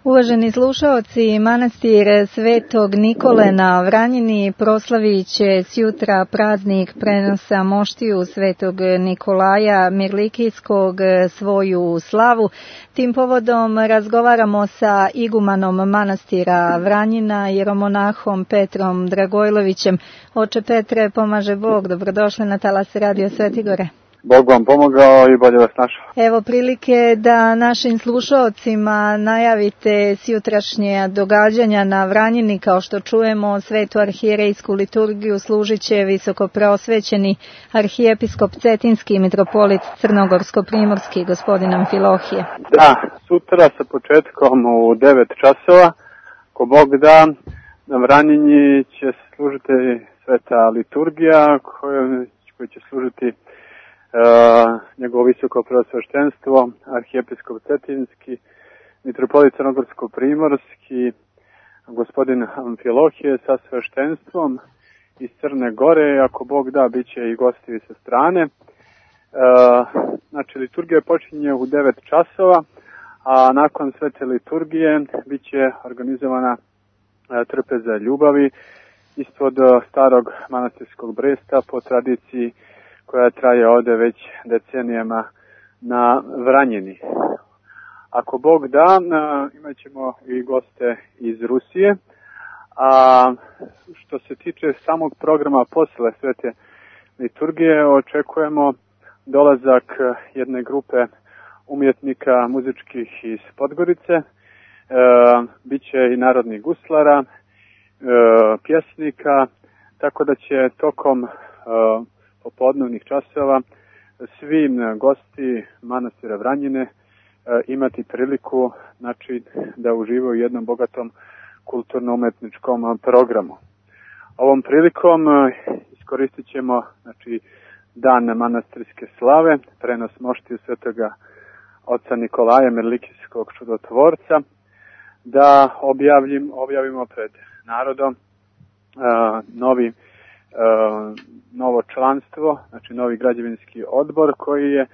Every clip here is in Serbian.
Uvaženi slušaoci, manastir Svetog Nikole na Vranjini proslavit će sjutra praznik prenosa moštiju Svetog Nikolaja Mirlikijskog svoju slavu. Tim povodom razgovaramo sa igumanom manastira Vranjina, jeromonahom Petrom Dragojlovićem. Oče Petre, pomaže Bog, dobrodošli na talas Radio Svetigore. Bog vam pomogao i bolje vas našao. Evo prilike da našim slušaocima najavite sjutrašnje događanja na Vranjini. Kao što čujemo, svetu arhijerejsku liturgiju služit će visokopreosvećeni arhijepiskop Cetinski i mitropolit Crnogorsko-primorski, gospodin Amfilohije. Da, sutra sa početkom u 9 časova, ko Bog da, na Vranjini će služiti sveta liturgija koja će služiti njegovo visoko preosveštenstvo, arhijepiskop Cetinski, mitropolit Crnogorsko-primorski, gospodin Amfilohije sa sveštenstvom iz Crne Gore, ako Bog da, bit će i gosti sa strane. Znači, liturgija počinje u 9 časova, a nakon svete liturgije bit će organizovana trpeza ljubavi ispod starog manastirskog bresta po tradiciji koja traje ovde već decenijama na Vranjini. Ako Bog da, imat ćemo i goste iz Rusije, a što se tiče samog programa posle svete liturgije, očekujemo dolazak jedne grupe umjetnika muzičkih iz Podgorice, biće i narodnih guslara, pjesnika, tako da će tokom popodnevnih časova svi gosti manastira Vranjine imati priliku, znači, da uživaju u jednom bogatom kulturno-umetničkom programu. Ovom prilikom iskoristit ćemo, znači, dan manastirske slave, prenos moštiju svetoga oca Nikolaja Mirlikijskog čudotvorca, da objavimo pred narodom novo članstvo, znači novi građevinski odbor koji je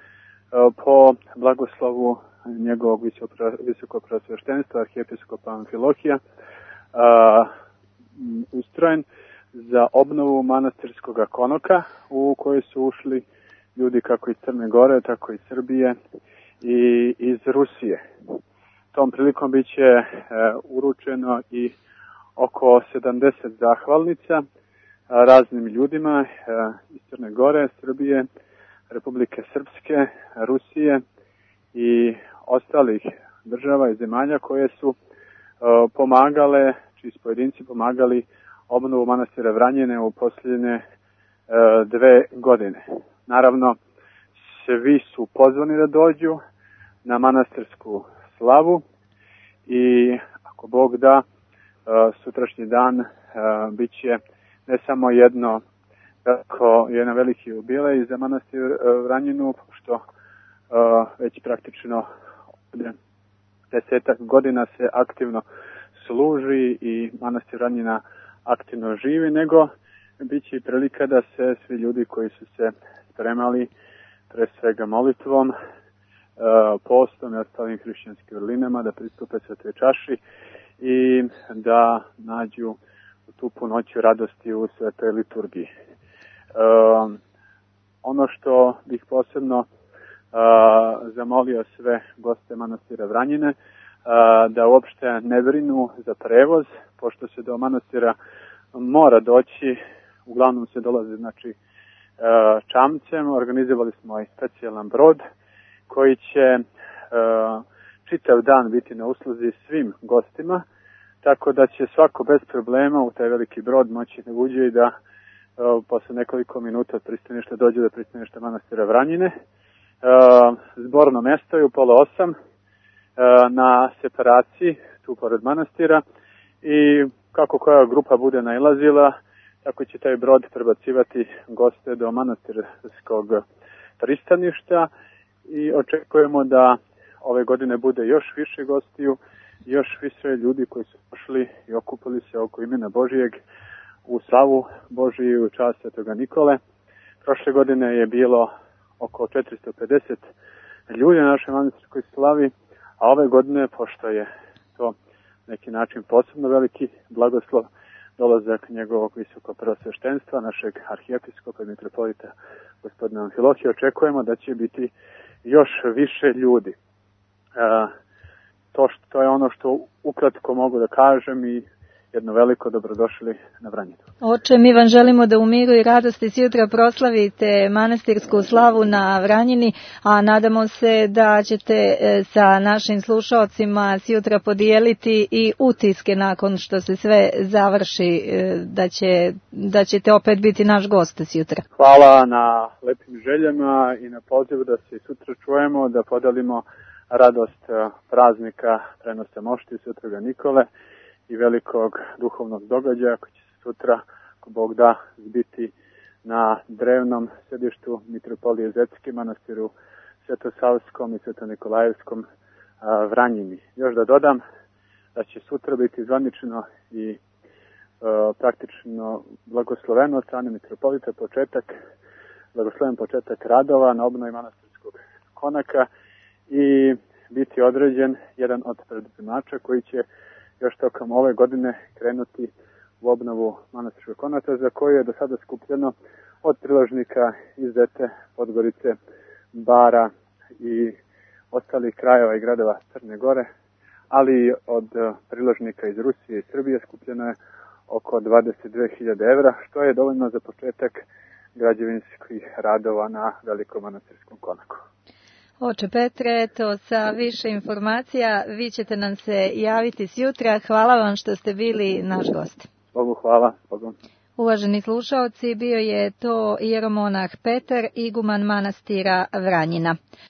po blagoslovu njegovog visokopreosveštenstva arhijepiskopa Amfilohija ustrojen za obnovu manastirskog konoka u koji su ušli ljudi kako iz Crne Gore, tako iz Srbije i iz Rusije. Tom prilikom bit će uručeno i oko 70 zahvalnica raznim ljudima iz Crne Gore, Srbije, Republike Srpske, Rusije i ostalih država i zemalja koje su pomagale, čiji su pojedinci pomagali obnovu manastira Vranjine u posljednje 2 godine. Naravno, svi su pozvani da dođu na manastirsku slavu i ako Bog da, sutrašnji dan bit će ne samo jedan veliki jubilej za manastir Vranjinu, pošto već praktično 10 godina se aktivno služi i manastir Vranjina aktivno živi, nego bit će i prilika da se svi ljudi koji su se spremali pre svega molitvom, postom i ostalim hrišćanskim vrlinama da pristupe svetoj čaši i da nađu tu punoću radosti u svetoj liturgiji. Ono što bih posebno zamolio sve goste manastira Vranjine, da uopšte ne brinu za prevoz, pošto se do manastira mora doći, uglavnom se dolazi, znači, čamcem. Organizovali smo i specijalan brod koji će čitav dan biti na usluzi svim gostima, tako da će svako bez problema u taj veliki brod moći da uđe i da posle nekoliko minuta od pristaništa dođe do pristaništa manastira Vranjine. Zborno mesto je u 7:30 na separaciji tu pored manastira i kako koja grupa bude nailazila, tako će taj brod prebacivati goste do manastirskog pristaništa i očekujemo da ove godine bude još više gostiju, još više ljudi koji su došli i okupili se oko imena Božijeg u slavu Božiju u čast svetoga Nikole. Prošle godine je bilo oko 450 ljudi na našoj manastirskoj slavi, a ove godine, pošto je to neki način posebno veliki blagoslov, dolazak njegovog visokog prvosveštenstva, našeg arhijepiskopa i mitropolita gospodina Amfilohija. Očekujemo da će biti još više ljudi. To je ono što ukratko mogu da kažem i jedno veliko dobrodošli na Vranjinu. Oče, mi vam želimo da u miru i radosti sutra proslavite manastirsku slavu na Vranjini, a nadamo se da ćete sa našim slušalcima sutra podijeliti i utiske nakon što se sve završi, da ćete opet biti naš gost sutra. Hvala na lepim željama i na pozivu da se sutra čujemo, da podelimo radost praznika prenosa mošti Svetoga Nikole i velikog duhovnog događaja koji će se sutra, ako Bog da, zbiti na drevnom sedištu Mitropolije Zetske, manastiru Svetosavskom i Svetonikolajevskom Vranjini. Još da dodam da će sutra biti zvanično i praktično blagosloveno od strane mitropolita blagosloven početak radova na obnovi manastirskog konaka i biti određen jedan od preduzemača koji će još tokom ove godine krenuti u obnovu manastirskog konaka, za koju je do sada skupljeno od priložnika iz Zete, Podgorice, Bara i ostalih krajeva i gradova Crne Gore, ali i od priložnika iz Rusije i Srbije skupljeno je oko 22.000 evra, što je dovoljno za početak građevinskih radova na velikom manastirskom konaku. Oče Petre, eto, sa više informacija vi ćete nam se javiti sutra. Hvala vam što ste bili naš gost. Bogu hvala. Bogu. Uvaženi slušaoci, bio je to ieromonah Petar, iguman manastira Vranjina.